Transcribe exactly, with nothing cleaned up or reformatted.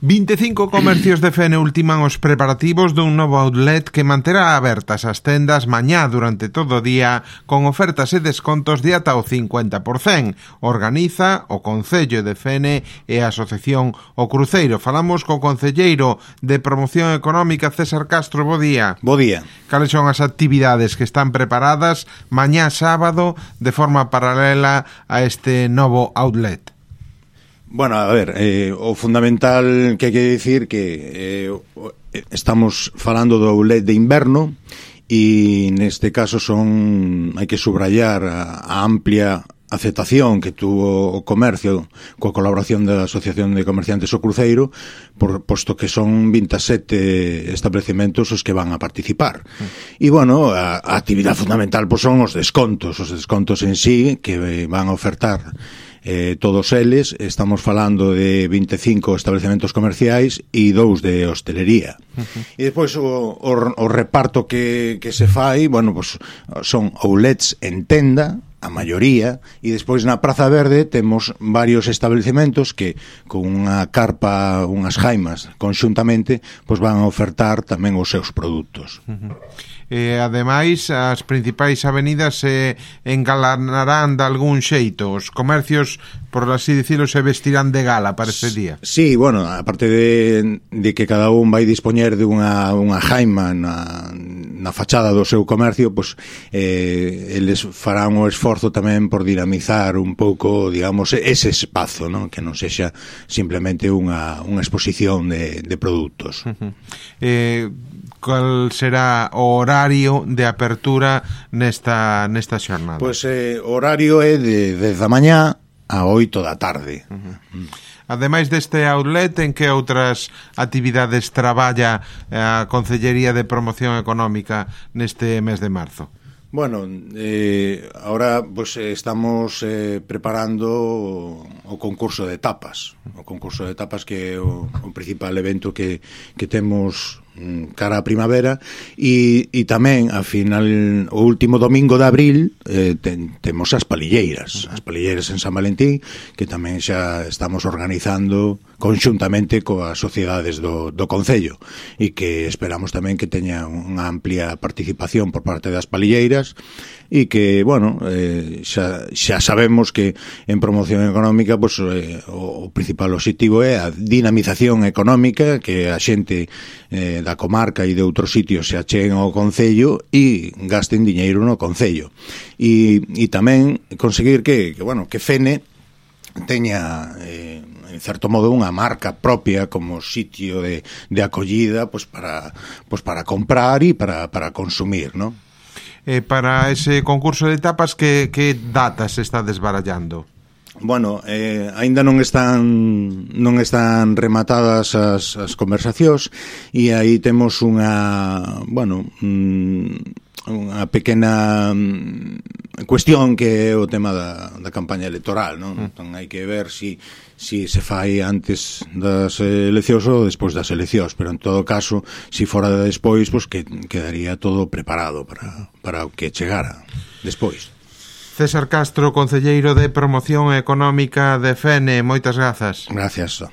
vinte e cinco comercios de Fene ultiman os preparativos dun novo outlet que manterá abertas as tendas mañá durante todo o día con ofertas e descontos de ata o cincuenta por cento. Organiza o Concello de Fene e a Asociación O Cruceiro. Falamos co concelleiro de Promoción Económica, César Castro. Bo día. Bo día. Cales son as actividades que están preparadas mañá sábado de forma paralela a este novo outlet? Bueno, a ver, eh, o fundamental que hai que dicir que eh, estamos falando do outlet de inverno e neste caso son hai que subrayar a, a amplia aceptación que tuvo o comercio coa colaboración da Asociación de Comerciantes O Cruceiro, por, posto que son vinte e sete establecementos os que van a participar. E, bueno, a, a actividade fundamental pois, son os descontos, os descontos en sí que van a ofertar Eh, todos eles. Estamos falando de vinte e cinco establecementos comerciais e dous de hostelería. Uh-huh. E despois o, o, o reparto que, que se fai, bueno, pues, son outlets en tenda, a maioría, e despois na Praza Verde temos varios establecementos que con unha carpa, unhas jaimas conxuntamente, pois van a ofertar tamén os seus produtos. Uh-huh. E, ademais, as principais avenidas se engalanarán de algún xeito. Os comercios, por así dicilo, se vestirán de gala para este día. Sí, bueno, aparte de, de que cada un vai dispoñer de unha, unha jaima na, na fachada do seu comercio, pois eh, eles farán o esforzo tamén por dinamizar un pouco, digamos, ese espazo, ¿no? Que non sexa simplemente unha, unha exposición de, de produtos. Uh-huh. Eh, cal será o horario de apertura nesta nesta xornada? Pois eh, o horario é de dez da mañá a oito da tarde. Uh-huh. Ademais deste outlet, en que outras actividades traballa a Concellería de Promoción Económica neste mes de marzo? Bueno, eh, ahora pues estamos eh, preparando o, o concurso de tapas. O concurso de tapas que é o, o principal evento que, que temos cara a primavera e, e tamén a final o último domingo de abril eh, ten, temos as palilleiras as palilleiras en San Valentín que tamén xa estamos organizando conxuntamente coas sociedades do, do Concello e que esperamos tamén que teña unha amplia participación por parte das palilleiras e que, bueno, eh, xa, xa sabemos que en promoción económica pues, eh, o, o principal objetivo é a dinamización económica, que a xente eh, da comarca e de outros sitios se acheguen ao Concello e gasten diñeiro no Concello. E, e tamén conseguir que, que, bueno, que Fene teña eh, en certo modo unha marca propia como sitio de, de acollida pues, para, pues, para comprar e para, para consumir, ¿no? Eh, para ese concurso de tapas, que, que datas se está desbarallando? Bueno, eh, aínda non están non están rematadas as, as conversacións e aí temos unha, bueno, mm, unha pequena mm, cuestión que é o tema da, da campaña electoral, non? Mm. Entón hai que ver si, si se fai antes das eleccións ou despois das eleccións, pero en todo caso, si fora de despois, pues que quedaría todo preparado para, para o que chegara despois. César Castro, concelleiro de Promoción Económica de Fene, moitas grazas. Gracias.